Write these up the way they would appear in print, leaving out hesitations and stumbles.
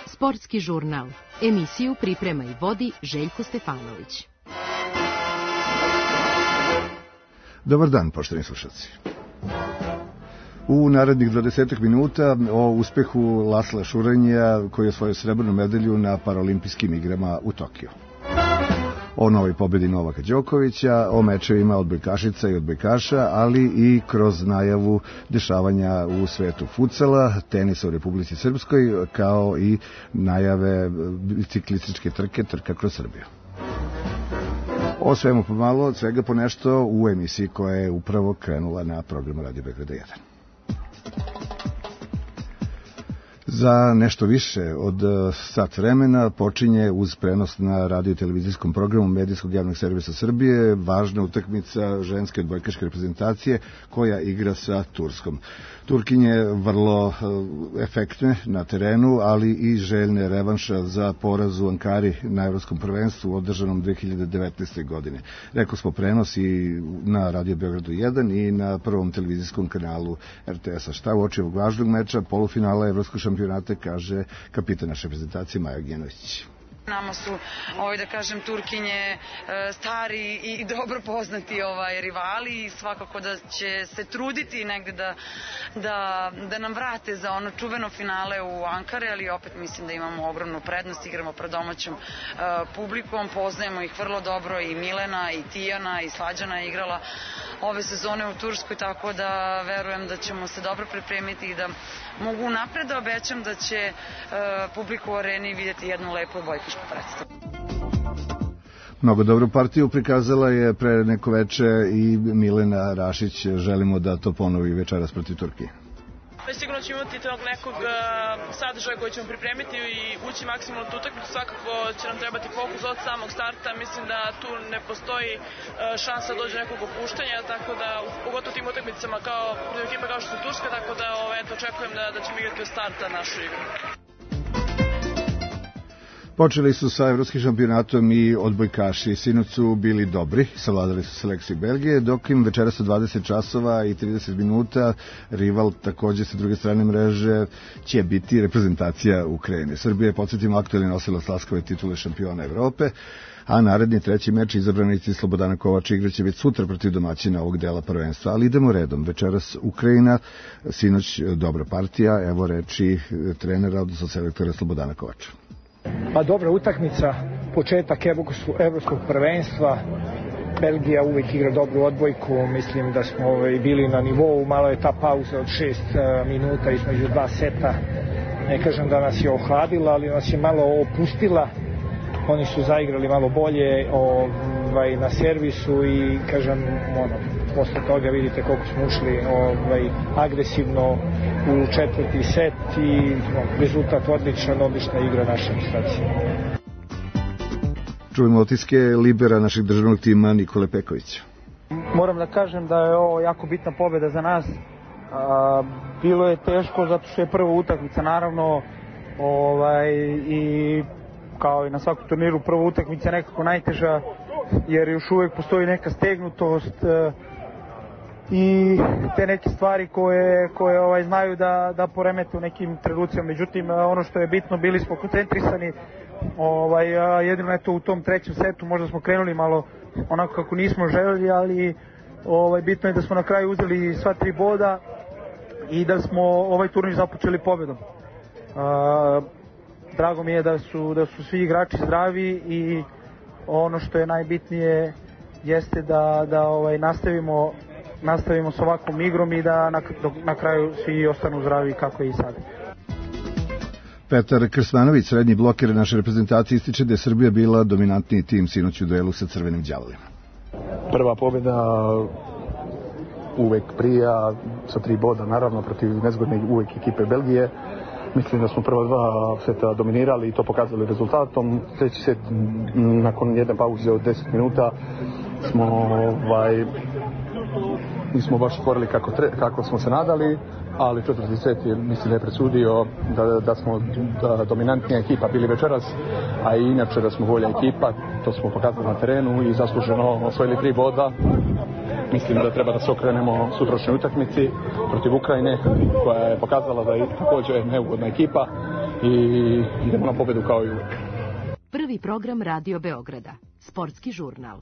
Sportski žurnal. Emisiju priprema i vodi Željko Stefanović. Dobar dan, poštovani slušalci. U narednih 20 minuta o uspehu Lasla Šurenja koji je osvojio srebrnu medalju na Paraolimpijskim igrama u Tokiju. O novoj pobedi Novaka Đokovića, o mečevima odbojkašica i odbojkaša, ali i kroz najavu dešavanja u svetu futsala, tenisa u Republici Srpskoj, kao i najave biciklističke trke Trka kroz Srbiju. O svemu pomalo, od svega po nešto u emisiji koja je upravo krenula na programu Radio Beograda 1. Za nešto više od sat vremena počinje uz prenos na radio i televizijskom programu Medijskog javnog servisa Srbije važna utakmica ženske odbojkaške reprezentacije koja igra sa Turskom. Turkinje vrlo efektne na terenu, ali i željne revanša za poraz u Ankari na Evropskom prvenstvu održanom 2019. godine. Rekao smo prenos i na Radio Beogradu 1 i na prvom televizijskom kanalu RTS-a. Šta u oči ovog važnog meča, polufinala Evropskog šampionata, kaže kapitan naše reprezentacije Maja Gnjenović. Nama su, da kažem, Turkinje stari i dobro poznati rivali i svakako da će se truditi negde da nam vrate za ono čuveno finale u Ankare, ali opet mislim da imamo ogromnu prednost, igramo pred domaćom publikom, poznajemo ih vrlo dobro, i Milena, i Tijana, i Slađana je igrala ove sezone u Turskoj, tako da verujem da ćemo se dobro pripremiti i da mogu napred da obećam da će publiku u areni vidjeti jednu lepu odbojkašku predstavu. Mnogo dobru partiju prikazala je pre neko veče i Milena Rašić. Želimo da to ponovi večeras protiv Turkije. Sigurno ćemo imati tog nekog sadržaja koji ćemo pripremiti i ući maksimalno u utakmicu. Svakako će nam trebati fokus od samog starta. Mislim da tu ne postoji šansa da dođe nekog opuštanja, tako da pogotovo tim utakmicama kao ekipa kao što su Turska, tako da očekujem da ćemo igrati od starta našu igru. Počeli su sa evropskim šampionatom i odbojkaši. Sinoć su bili dobri, savladali su selekciju Belgije, dok im večeras u 20 časova i 30 minuta rival takođe sa druge strane mreže će biti reprezentacija Ukrajine. Srbija je, podsjetimo, aktuelni nosilac Laskove titule šampiona Evrope, a naredni treći meč izabranici Slobodana Kovača igraće već sutra protiv domaćina ovog dela prvenstva. Ali idemo redom. Večeras Ukrajina, sinoć dobra partija, evo reči trenera, odnosno selektora Slobodana Kovača. Pa dobra utakmica, početak evropskog prvenstva. Belgija uvijek igra dobru odbojku, mislim da smo bili na nivou, malo je ta pauza od 6 minuta između dva seta, ne kažem da nas je ohladila, ali nas je malo opustila. Oni su zaigrali malo bolje na servisu i kažem, posle toga vidite koliko smo ušli agresivno u četvrti set i rezultat odlična igra naše reprezentacije. Čujemo otiske libera našeg državnog tima Nikole Pekovića. Moram da kažem da je ovo jako bitna pobjeda za nas. Bilo je teško zato što je prva utakmica, naravno, i kao i na svakom turniru prva utakmica nekako najteža, jer još uvijek postoji neka stegnutost i te neke stvari koje znaju da poremete u nekim trenucima. Međutim, ono što je bitno, bili smo koncentrisani, jedino eto u tom trećem setu možda smo krenuli malo onako kako nismo želeli, ali bitno je da smo na kraju uzeli sva 3 boda i da smo ovaj turnir započeli pobjedom. Drago mi je da su svi igrači zdravi i ono što je najbitnije jeste da nastavimo s ovakvom igrom i da na kraju svi ostanu zdravi kako je i sad. Petar Krsmanović, srednji bloker naše reprezentacije, ističe da je Srbija bila dominantniji tim sinoć u duelu sa Crvenim đavolima. Prva pobjeda uvek prija sa 3 boda, naravno protiv nezgodne uvek ekipe Belgije. Mislim da smo prva 2 seta dominirali i to pokazali rezultatom. Treći set, nakon jedne pauze od 10 minuta, nismo baš otvorili kako smo se nadali, ali četvrti set mislim da je presudio da smo dominantnija ekipa bili večeras, a i inače da smo bolja ekipa. To smo pokazali na terenu i zasluženo osvojili 3 boda. mislim da treba da se okrenemo sutrašnjoj utakmici protiv Ukrajine, koja je pokazala da je također neugodna ekipa i idemo na pobjedu kao i uvijek. Prvi program Radio Beograda, sportski žurnal.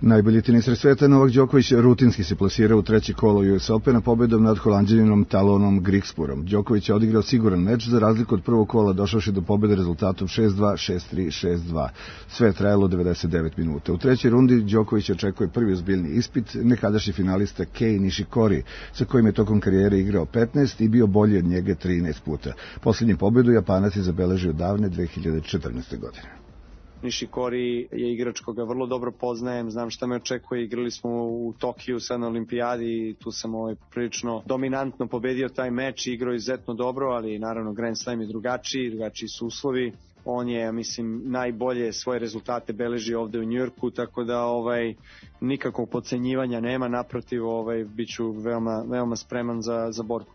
Najbolji tenisar sveta Novak Đoković rutinski se plasirao u treće kolo US Opena pobedom nad Holanđaninom Talonom Griekspurom. Đoković je odigrao siguran meč, za razliku od prvog kola došavši do pobede rezultatom 6-2, 6-3, 6-2. Sve je trajalo 99 minuta. U trećoj rundi Đoković očekuje prvi ozbiljni ispit nekadašnji finalista Kei Nishikori, sa kojim je tokom karijere igrao 15 i bio bolji od njega 13 puta. Posljednju pobedu Japanac je zabeležio davne 2014. godine. Nishikori je igrač koga vrlo dobro poznajem, znam šta me očekuje, igrali smo u Tokiju sad na olimpijadi i tu sam prilično dominantno pobedio taj meč, igrao izuzetno dobro, ali naravno Grand Slam je drugačiji su uslovi. On je, mislim, najbolje svoje rezultate beleži ovde u Njujorku, tako da nikakvog podcenjivanja nema, naprotiv, biću veoma spreman za borbu.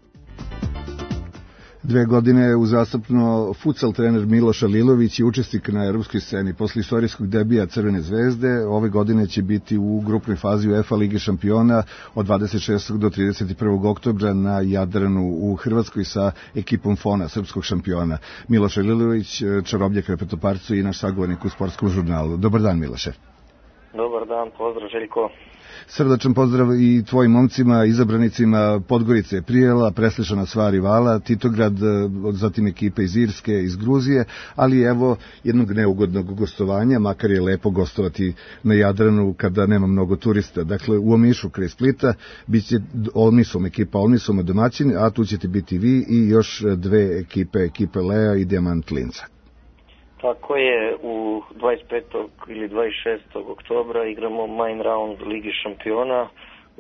2 godine uzastopno futsal trener Miloš Alilović je učesnik na evropskoj sceni. Posle istorijskog debija Crvene zvezde, ove godine će biti u grupnoj fazi UEFA Lige šampiona od 26. do 31. oktobra na Jadranu u Hrvatskoj sa ekipom Fona, srpskog šampiona. Miloš Alilović, čarobnjak repetoparcu i naš sagovornik u sportskom žurnalu. Dobar dan, Miloše. Dobar dan, pozdrav Željko. Srdačan pozdrav i tvojim momcima, izabranicima Podgorice, Prijela, preslišana sva rivala, Titograd, zatim ekipe iz Irske, iz Gruzije, ali evo jednog neugodnog gostovanja, makar je lepo gostovati na Jadranu kada nema mnogo turista. Dakle, u Omišu kraj Splita biće ekipa Olmisom domaćin, a tu ćete biti vi i još 2 ekipe Lea i Dijamant Linca. Tako je, u 25. ili 26. oktobra igramo main round Ligi šampiona,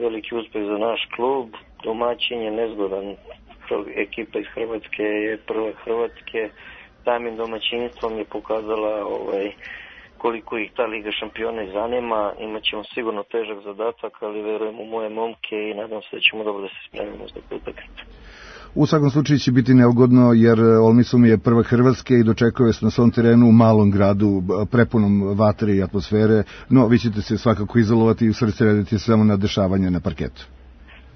veliki uspeh za naš klub, domaćin je nezgodan, ekipa iz Hrvatske je prva Hrvatske, samim domaćinstvom je pokazala koliko ih ta Liga šampiona zanima, imat ćemo sigurno težak zadatak, ali verujem u moje momke i nadam se da ćemo dobro da se spremimo za utakmicu. U svakom slučaju će biti neugodno jer Olmisum je prva Hrvatske i dočekuje se na svom terenu u malom gradu prepunom vatre i atmosfere, no vi ćete se svakako izolovati i usredsrediti samo na dešavanje na parketu.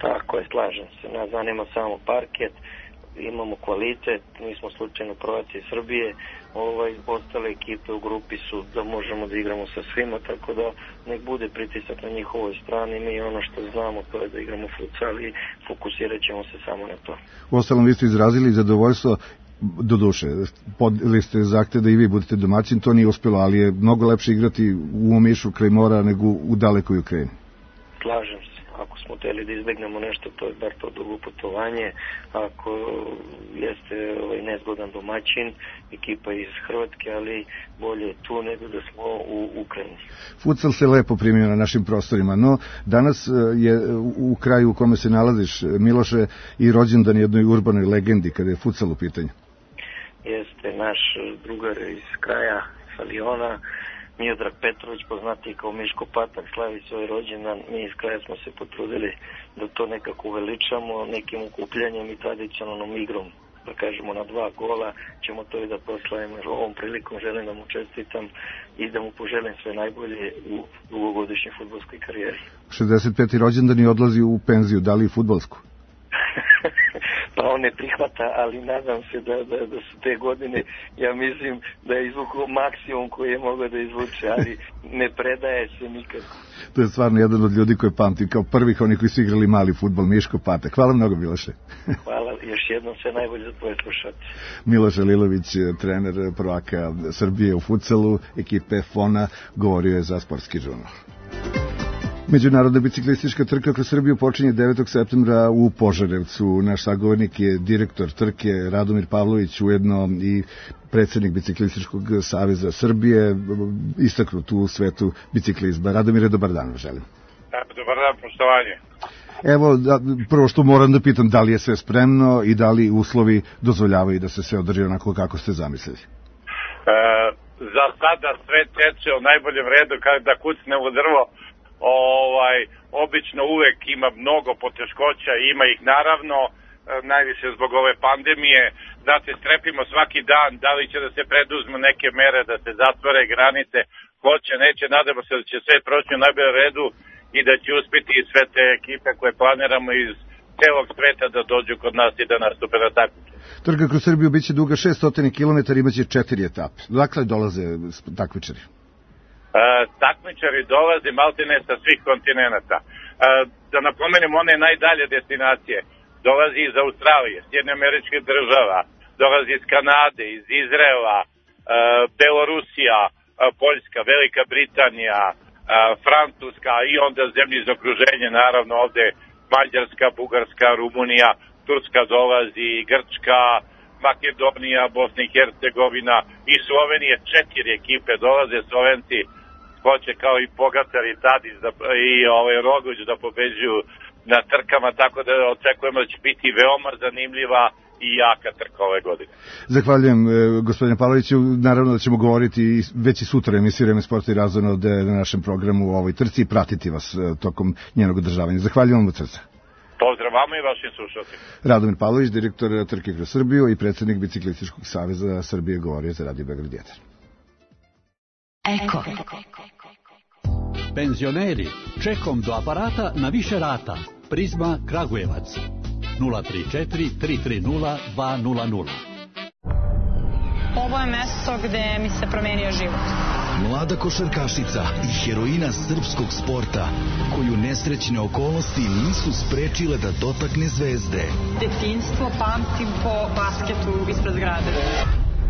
Tako je, slažem se. Nas zanima samo parket, imamo kvalitet, mi smo slučajno prvaci iz Srbije, ostale ekipe u grupi su da možemo da igramo sa svima, tako da nek bude pritisak na njihovoj strani, mi ono što znamo to je da igramo futsal i fokusirat ćemo se samo na to. Uostalom, vi ste izrazili zadovoljstvo, doduše, podili ste zahtev da i vi budete domaćin, to nije uspjelo, ali je mnogo lepše igrati u Omišu kraj mora nego u dalekoj Ukrajini. Slažem se. Ako smo htjeli da izbegnemo nešto, to je bar to dugo putovanje. Ako jeste nezgodan domaćin, ekipa iz Hrvatske, ali bolje tu nego da smo u Ukrajini. Futsal se lepo primio na našim prostorima, no danas je u kraju u kome se nalaziš, Miloše, i rođendan jednoj urbanoj legendi kada je futsal u pitanju. Jeste naš drugar iz kraja, Faliona, Miodrag Petrović, poznati kao Miško Patak, slavi svoj rođendan. Mi iz kraja smo se potrudili da to nekako uveličamo nekim okupljanjem i tradicionalnom igrom. Da kažemo na 2 gola ćemo to i da proslavimo. Ovom prilikom želim da mu čestitam i da mu poželim sve najbolje u dugogodišnjoj fudbalskoj karijeri. 65. rođendan i odlazi u penziju, da li i fudbalsku? Pa on ne prihvata, ali nadam se da su te godine, ja mislim da je izvukao maksimum koji je mogao da izvuče, ali ne predaje se nikad. To je stvarno jedan od ljudi koje pamtim kao prvih oni koji su igrali mali fudbal, Miško Patak. Hvala mnogo, Miloše. Hvala, još jednom sve najbolje za tvoje slušatelje. Miloš Alilović, trener prvaka Srbije u futsalu, ekipe Fona, govorio je za sportski žurnal. Međunarodna biciklistička trka kroz Srbiju počinje 9. septembra u Požarevcu. Naš sagovornik je direktor trke Radomir Pavlović, ujedno i predsjednik Biciklističkog saveza Srbije, istaknut u svetu biciklizma. Radomire, dobar dan, želim. Dobar dan, poštovanje. Evo, prvo što moram da pitam, da li je sve spremno i da li uslovi dozvoljavaju da se sve održi onako kako ste zamislili? Za sada sve teče u najboljem redu, kada kucne u drvo. Obično uvek ima mnogo poteškoća, ima ih naravno, najviše zbog ove pandemije, da se strepimo svaki dan, da li će da se preduzmu neke mere, da se zatvore granice, hoće, neće, nadamo se da će sve proći u najboljem redu i da će uspjeti sve te ekipe koje planiramo iz celog sveta da dođu kod nas i da nastupe na takmičenju. Trka kroz Srbiju biće duga 600 km, imaće 4 etape. Dakle, dolaze takmičari? Takmičari dolaze maltene sa svih kontinenta. Da napomenem, one najdalje destinacije. Dolazi iz Australije, Sjedinjenih Američkih Država, dolazi iz Kanade, iz Izraela, Belorusija, Poljska, Velika Britanija, Francuska i onda zemlje iz okruženja, naravno ovde Mađarska, Bugarska, Rumunija, Turska dolazi, Grčka, Makedonija, Bosna i Hercegovina i Slovenije, 4 ekipe dolaze. Slovenci hoće kao i Pogačar i Tadić i Roglić da pobeđuju na trkama, tako da očekujemo da će biti veoma zanimljiva i jaka trka ove godine. Zahvaljujem gospodine Pavloviću, naravno da ćemo govoriti već i sutra emisiju Vreme sporta i razvojno na našem programu u ovoj trci i pratiti vas tokom njenog održavanja. Zahvaljujem vam od srca. Pozdrav vama i vašim slušalcima. Radomir Pavlović, direktor Trke kroz Srbiju i predsjednik Biciklističkog saveza Srbije, govorio za Radio Beograd 1. Eko. Penzioneri, čekom do aparata na više rata. Prizma Kragujevac 034 330 200. Ovo je mesto gde mi se promenio život. Mlada košarkašica i heroina srpskog sporta, koju nesrećne okolnosti nisu sprečile da dotakne zvezde. Detinjstvo pamtim po basketu ispred zgrade.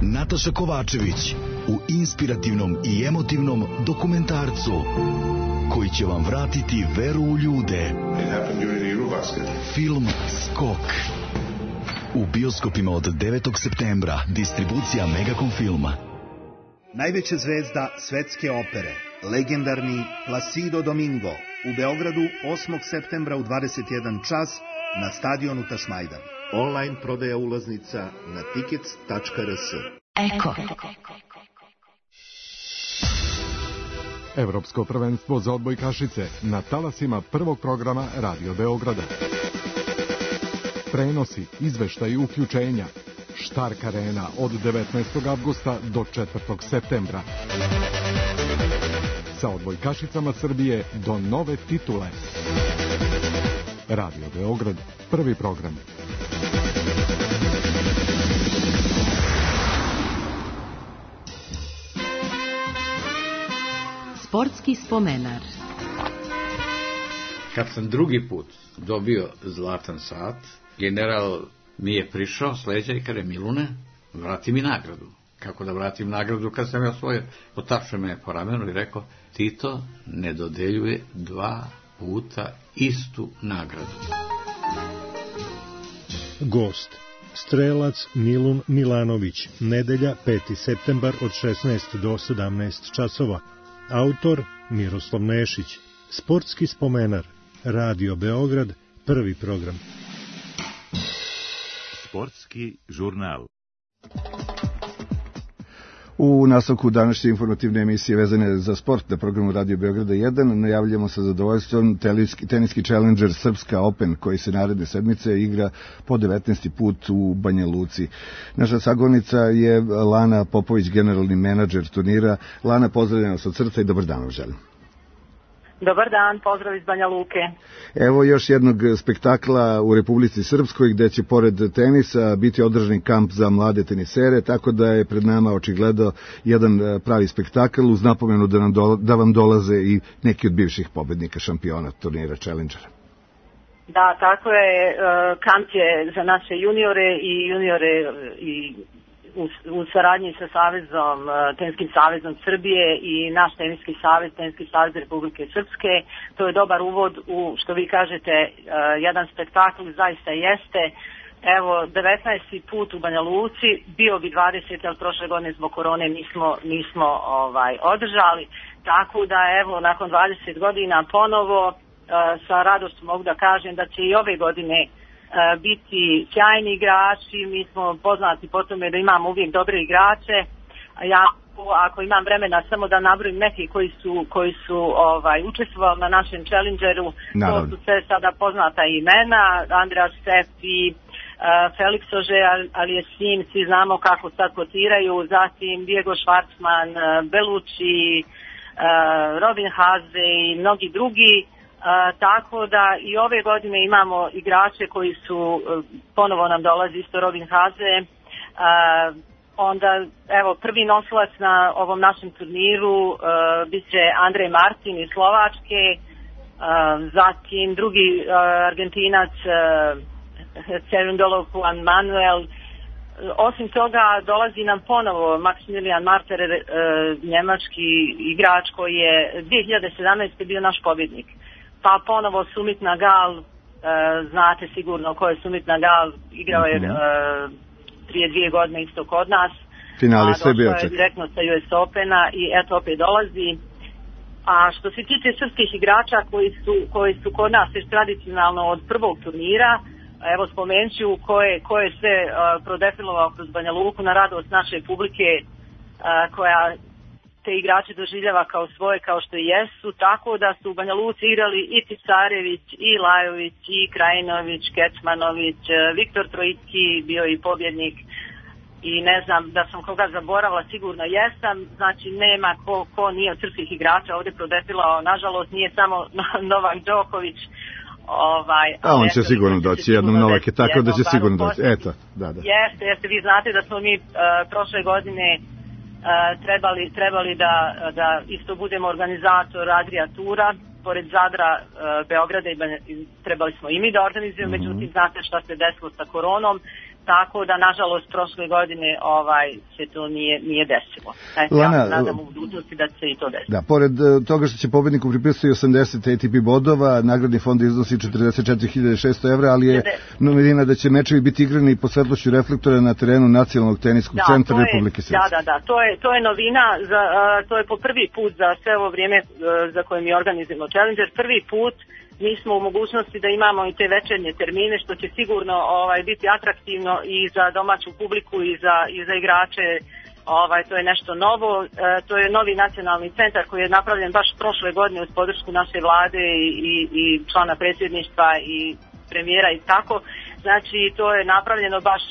Nataša Kovačević u inspirativnom i emotivnom dokumentarcu koji će vam vratiti veru u ljude. Film Skok. U bioskopima od 9. septembra. Distribucija Megacom filma. Najveća zvezda svetske opere, legendarni Placido Domingo, u Beogradu 8. septembra u 21 čas na stadionu Tašmajdan. Online prodaja ulaznica na tickets.rs. Eko. Evropsko prvenstvo za odbojkašice na talasima prvog programa Radio Beograda. Prenosi, izveštaji, uključenja. Štark Arena od 19. avgusta do 4. septembra. Sa odbojkašicama Srbije do nove titule. Radio Beograd, prvi program. Sportski spomenar. Kad sam drugi put dobio zlatan sat, general mi je prišao s leđa i kaže: Milune, vrati mi nagradu. Kako da vratim nagradu kad sam ja osvojio? Potapšao me po ramenu i rekao: Tito ne dodeljuje 2 puta istu nagradu. Gost: strelac Milun Milanović, nedelja 5. septembar od 16 do 17 časova. Autor Miroslav Nešić. Sportski spomenar. Radio Beograd, prvi program. Sportski žurnal. U nastavku današnje informativne emisije vezane za sport na programu Radio Beograda 1 najavljamo sa zadovoljstvom teniski Challenger Srpska Open koji se naredne sedmice igra po 19. put u Banja Luci. Naša sagovornica je Lana Popović, generalni menadžer turnira. Lana, pozdravljam vas od srca i dobar dan vam želim. Dobar dan, pozdrav iz Banja Luke. Evo još jednog spektakla u Republici Srpskoj gde će pored tenisa biti održani kamp za mlade tenisere, tako da je pred nama očigledno jedan pravi spektakl uz napomenu da vam dolaze i neki od bivših pobednika šampiona turnira Challengera. Da, tako je. Kamp je za naše juniore i u saradnji sa Savezom, Teniskim savezom Srbije i naš Teniski savez Republike Srpske. To je dobar uvod u, što vi kažete, jedan spektakl, zaista jeste. Evo, 19. put u Banja Luci, bio bi 20, ali prošle godine zbog korone nismo održali. Tako da, evo, nakon 20 godina ponovo, sa radošću mogu da kažem da će i ove godine biti sjajni igrači. Mi smo poznati po tome da imamo uvijek dobre igrače. Ja, ako imam vremena, samo da nabrojim neki koji su učestvovali na našem Challengeru. To su sve sada poznata imena: Andreas Stefi, Felix Auger-Aliassime, svi znamo kako sad kotiraju, zatim Diego Schwartzman, Bellucci, Robin Haase i mnogi drugi. Tako da i ove godine imamo igrače koji su, ponovo nam dolazi isto Robin Haze, onda evo prvi nosilac na ovom našem turniru bit će Andrej Martin iz Slovačke, zatim drugi Argentinac Cerundolo Juan Manuel. Osim toga dolazi nam ponovo Maximilian Marter, njemački igrač koji je 2017. bio naš pobjednik. Pa ponovo Sumit Nagal, znate sigurno ko je Sumit Nagal, igrao je prije 2 godine isto kod nas. Finali sve bio čak. Direktno sa US Opena i eto opet dolazi. A što se tiče srpskih igrača koji su kod nas još tradicionalno od prvog turnira, evo spomenut ću ko je sve prodefilovao kroz Banja Luku na radost naše publike, koja te igrače doživljava kao svoje, kao što i jesu, tako da su u Banja Luci igrali i Tisarević, i Lajović, i Krajinović, Kecmanović, Viktor Trojicki bio i pobjednik, i ne znam da sam koga zaboravila, sigurno jesam, znači nema ko nije od srpskih igrača ovdje prodefilao, nažalost nije samo Novak Đoković, on će sigurno doći jednom, Novak je tako da će sigurno doći, eto, da. Jeste, vi znate da smo mi prošle godine trebali da isto budemo organizator Adria Tura, pored Zadra, Beograda, i trebali smo i mi da organizujemo, međutim znate šta se desilo sa koronom, tako da nažalost prošle godine se to nije desilo. Ja se nadam u budućnosti da će i to desiti. Da, pored toga što će pobedniku pripisati 80 ATP bodova, nagradni fond iznosi 44.600 evra, ali je novina da će mečevi biti igrani pod svetlošću reflektora na terenu Nacionalnog teniskog centra Republike Srpske. Da, to je novina, to je po prvi put za sve ovo vrijeme za koje mi organizujemo Challenger, prvi put mi smo u mogućnosti da imamo i te večernje termine, što će sigurno biti atraktivno i za domaću publiku i za igrače. To je nešto novo. To je novi nacionalni centar koji je napravljen baš prošle godine uz podršku naše vlade i člana predsjedništva i premijera i tako. Znači to je napravljeno baš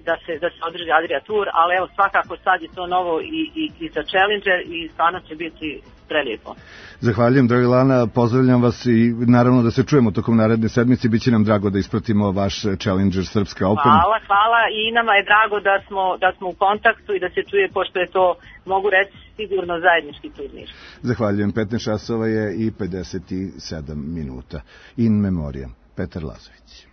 da se održi Adria Tour, ali evo svakako sad je to novo i za Challenger i stvarno će biti prelijepo. Zahvaljujem, draga Lana, pozdravljam vas i naravno da se čujemo tokom naredne sedmice, bit će nam drago da ispratimo vaš Challenger Srpska Open. Hvala i nama je drago da smo u kontaktu i da se čuje, pošto je to, mogu reći, sigurno zajednički turnir. Zahvaljujem, 15 časova je i 57 minuta. In memoriam, Petar Lazović.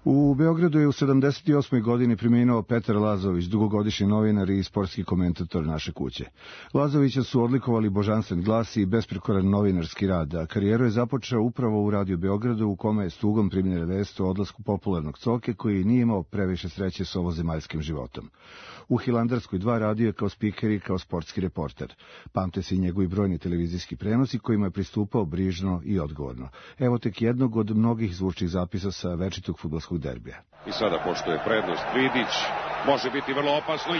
U Beogradu je u 78. godini preminuo Petar Lazović, dugogodišnji novinar i sportski komentator naše kuće. Lazovića su odlikovali božanstven glas i besprekoran novinarski rad, a karijeru je započeo upravo u Radio Beogradu, u kome je s tugom primljena vest o odlasku popularnog Coke, koji nije imao previše sreće s ovozemaljskim životom. U Hilandarskoj 2 radio je kao spiker i kao sportski reporter. Pamte se i njegovi brojni televizijski prenosi kojima je pristupao brižno i odgovorno. Evo tek jednog od mnogih zvučnih zapisa sa večitog fudbalskog derbija. I sada pošto je prednost Vidić, može biti vrlo opasno. 1:0.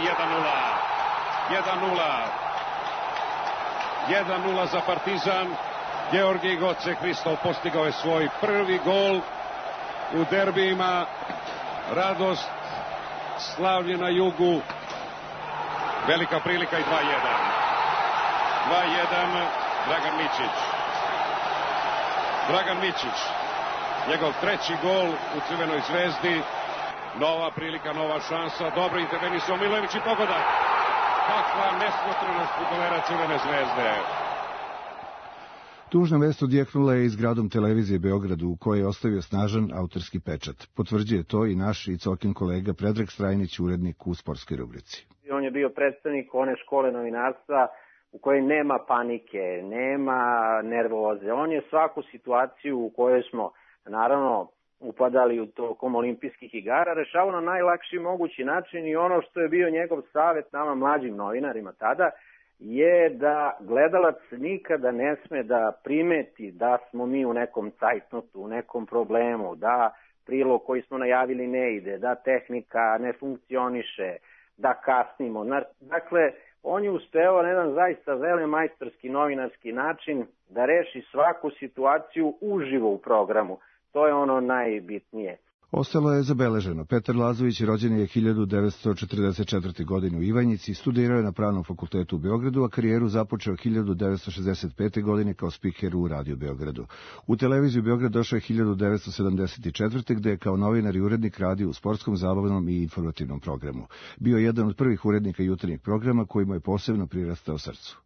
1:0 za Partizan. Georgij Goce Hristov postigao je svoj prvi gol u derbijima. Radost, slavlje na jugu. Velika prilika i 2:1. 2:1 Dragan Mićić. Njegov treći gol u Crvenoj zvezdi. Nova prilika, nova šansa. Dobro intervenisao Milojević i pogodak. Kakva nesmotrenost fudbalera Crvene zvezde. Tužna vest odjeknula je i zgradom televizije Beogradu, u kojoj je ostavio snažan autorski pečat. Potvrđuje to i naš i Cokin kolega Predrag Strajnić, urednik u sportskoj rubrici. On je bio predstavnik one škole novinarstva u kojoj nema panike, nema nervoze. On je svaku situaciju u kojoj smo, naravno, upadali u tokom olimpijskih igara, rešavao na najlakši mogući način, i ono što je bio njegov savjet nama mlađim novinarima tada je da gledalac nikada ne sme da primeti da smo mi u nekom cajtnotu, u nekom problemu, da prilog koji smo najavili ne ide, da tehnika ne funkcioniše, da kasnimo. Dakle, on je uspeo na jedan zaista velemajstorski novinarski način da reši svaku situaciju uživo u programu. To je ono najbitnije. Ostalo je zabeleženo. Petar Lazović rođen je 1944. godine u Ivanjici, studirao je na Pravnom fakultetu u Beogradu, a karijeru započeo 1965. godine kao spiker u Radio Beogradu. U televiziju Beograd došao je 1974. gde je kao novinar i urednik radio u sportskom, zabavnom i informativnom programu. Bio je jedan od prvih urednika jutarnjeg programa koji mu je posebno prirastao srcu.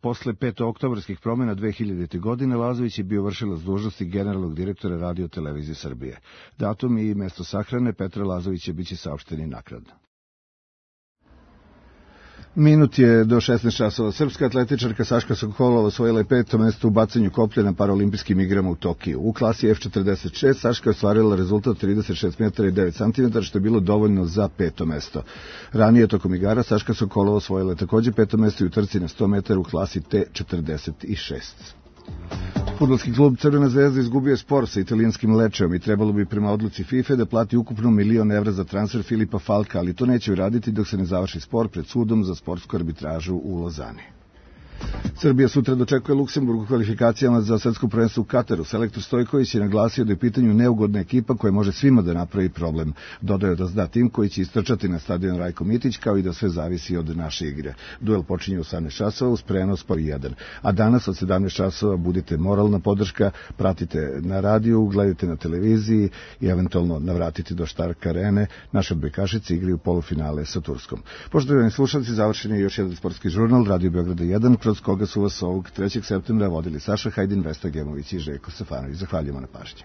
Posle petooktobarskih promjena 2000. godine Lazović je bio vršilac dužnosti generalnog direktora Radio televizije Srbije. Datum i mesto sahrane Petra Lazovića biće saopšteni naknadno. Minut je do 16 časova. Srpska atletičarka Saška Sokolova osvojila je 5. mesto u bacanju koplja na paraolimpijskim igrama u Tokiju. U klasi F46 Saška je ostvarila rezultat 36 metara i 9 cm, što je bilo dovoljno za 5. mesto. Ranije tokom igara Saška Sokolova osvojila je takođe 5. mesto i u trci na 100 metara u klasi T46. Fudbalski klub Crvena zvezda izgubio spor sa italijanskim Lečeom i trebalo bi prema odluci FIFA da plati ukupno €1.000.000 za transfer Filipa Falka, ali to neće uraditi dok se ne završi spor pred sudom za sportsku arbitražu u Lozani. Srbija sutra dočekuje Luksemburg u kvalifikacijama za svetsko prvenstvo u Kataru. Selektor Stojković je naglasio da je u pitanju neugodna ekipa koja može svima da napravi problem. Dodao je da zna tim koji će istrčati na stadion Rajko Mitić, kao i da sve zavisi od naše igre. Duel počinje u 18 časova uz prenos po 1. A danas od 17 časova budite moralna podrška, pratite na radiju, gledajte na televiziji i eventualno navratite do Štark arene. Naše odbojkašice igraju polufinale sa Turskom. Poštovani slušalci, završen je još jedan sportski žurnal Radio Beograda 1, kroz koga su vas ovog 3. septembra vodili Saša Hajdin, Vesna Gemović i Željko Stefanović. Zahvaljujemo na pažnji.